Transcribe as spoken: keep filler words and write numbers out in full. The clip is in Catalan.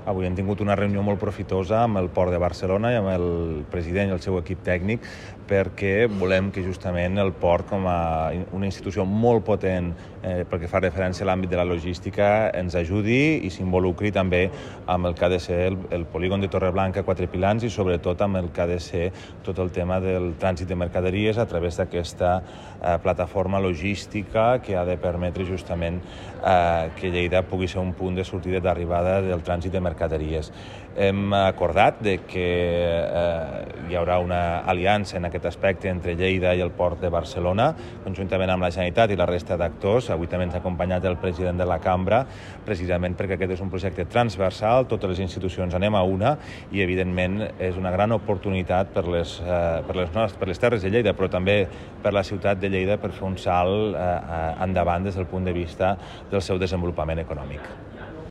avui hem tingut una reunió molt profitosa amb el Port de Barcelona i amb el president i el seu equip tècnic, perquè volem que justament el port, com a una institució molt potent eh, pel que fa referència a l'àmbit de la logística, ens ajudi i s'involucri també amb el que ha de ser el, el polígon de Torreblanca, Quatre Pilans, i sobretot amb el que ha de ser tot el tema del trànsit de mercaderies a través d'aquesta eh, plataforma logística que ha de permetre justament eh, que Lleida pugui ser un punt de sortida i d'arribada del trànsit de mercaderies. Hem acordat de que eh, hi haurà una aliança en aquest aspecte entre Lleida i el Port de Barcelona, conjuntament amb la Generalitat i la resta d'actors. Avui també ens ha acompanyat el president de la Cambra, precisament perquè aquest és un projecte transversal, totes les institucions anem a una i, evidentment, és una gran oportunitat per les, eh, per les, nostres, per les terres de Lleida, però també per la ciutat de Lleida per fer un salt eh, endavant des del punt de vista del seu desenvolupament econòmic.